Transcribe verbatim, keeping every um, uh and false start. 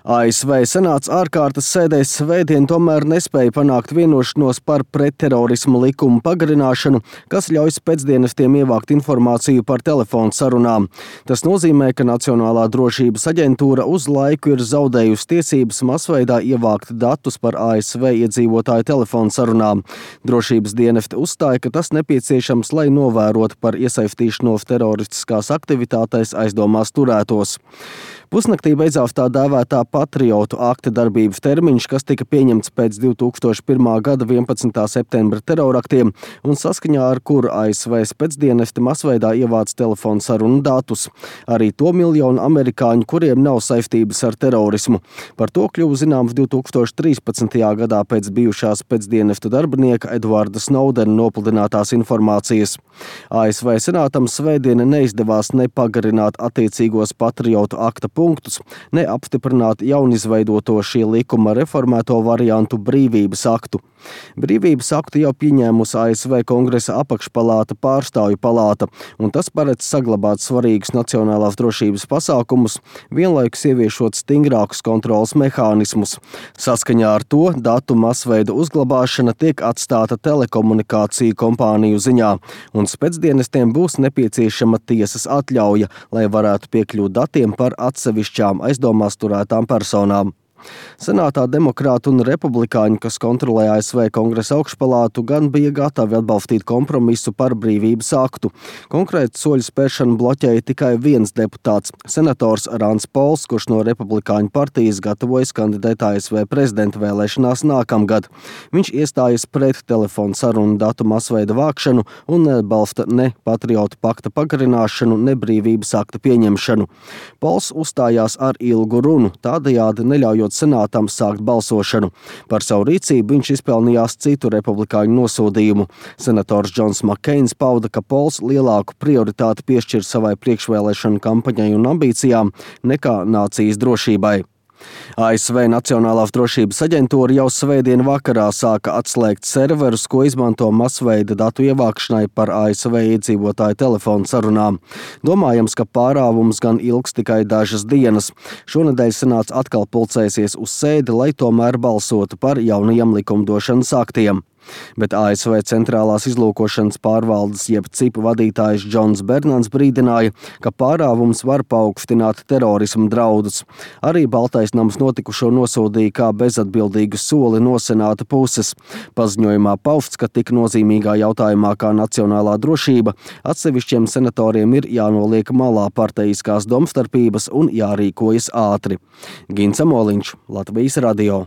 A S V Senāts ārkārtas sēdēs svētdien tomēr nespēja panākt vienošanos par pretterorismu likumu pagarināšanu, kas ļauj spēcdienestiem ievākt informāciju par telefonu sarunām. Tas nozīmē, ka Nacionālā drošības aģentūra uz laiku ir zaudējusi tiesības masveidā ievākt datus par A S V iedzīvotāju telefonu sarunām. Drošības dienesti uzstāja, ka tas nepieciešams, lai novērotu par iesaistīšanos teroristiskās aktivitātēs aizdomās turētos. Pusnaktī beidzās tā dēvētā patriotu akta darbības termiņš, kas tika pieņemts pēc divi tūkstoši pirmā gada vienpadsmitā septembra teroraktiem un saskaņā ar kuru A S V spēcdienesti masveidā ievāc telefonu sarunu datus. Arī to miljonu amerikāņu, kuriem nav saistības ar terorismu. Par to kļuva zināms divi tūkstoši trīspadsmitajā gadā pēc bijušās spēcdienestu darbinieka Edvarda Snowdena nopludinātās informācijas. A S V senātam svētdien neizdevās nepagarināt attiecīgos patriotu akta punktus, neapstiprināt jaunizveidoto šī likuma reformēto variantu brīvības aktu. Brīvības aktu jau pieņēmusi A S V Kongresa apakšpalāta Pārstāvju palāta, un tas paredz saglabāt svarīgus nacionālās drošības pasākumus, vienlaikus ieviešot stingrākus kontroles mehānismus. Saskaņā ar to datu masveida uzglabāšana tiek atstāta telekomunikāciju kompāniju ziņā, un spēcdienestiem būs nepieciešama tiesas atļauja, lai varētu piekļūt datiem par atsevišķām aizdomās turētām personām. Senātā demokrāti un republikāņi, kas kontrolē A S V Kongresa augšpalātu, gan bija gatavi atbalstīt kompromisu par brīvības aktu. Konkrēti soļu spēršanu bloķēja tikai viens deputāts, senators Rands Pols, kurš no republikāņu partijas gatavojas kandidēt A S V prezidenta vēlēšanās nākamgad. Viņš iestājas pret telefonu sarunu datu masveida vākšanu un neatbalsta ne patriotu pakta pagarināšanu, ne brīvības akta pieņemšanu. Pols uzstājās ar ilgu runu, tādējādi neļaujot senātam sākt balsošanu. Par savu rīcību viņš izpelnījās citu republikāņu nosodījumu. Senators Džons Makkeins pauda, ka Pols lielāku prioritāti piešķir savai priekšvēlēšanu kampaņai un ambīcijām nekā nācijas drošībai. A S V Nacionālās drošības aģentūra jau svētdien vakarā sāka atslēgt serverus, ko izmanto masveida datu ievākšanai par A S V iedzīvotāju telefonu sarunām. Domājams, ka pārāvums gan ilgs tikai dažas dienas. Šonedēļ senāts atkal pulcēsies uz sēdi, lai tomēr balsotu par jaunajiem likumdošanas aktiem. Bet A S V centrālās izlūkošanas pārvaldes jeb C I P vadītājs Džons Bernans brīdināja, ka pārāvums var paaugstināt terorismu draudus. Arī Baltais nams notikušo nosodīja kā bezatbildīgu soli no senāta puses. Paziņojumā pausts, ka tik nozīmīgā jautājumā kā nacionālā drošība atsevišķiem senatoriem ir jānoliek malā parteiskās domstarpības un jārīkojas ātri. Gins Amoliņš, Latvijas radio.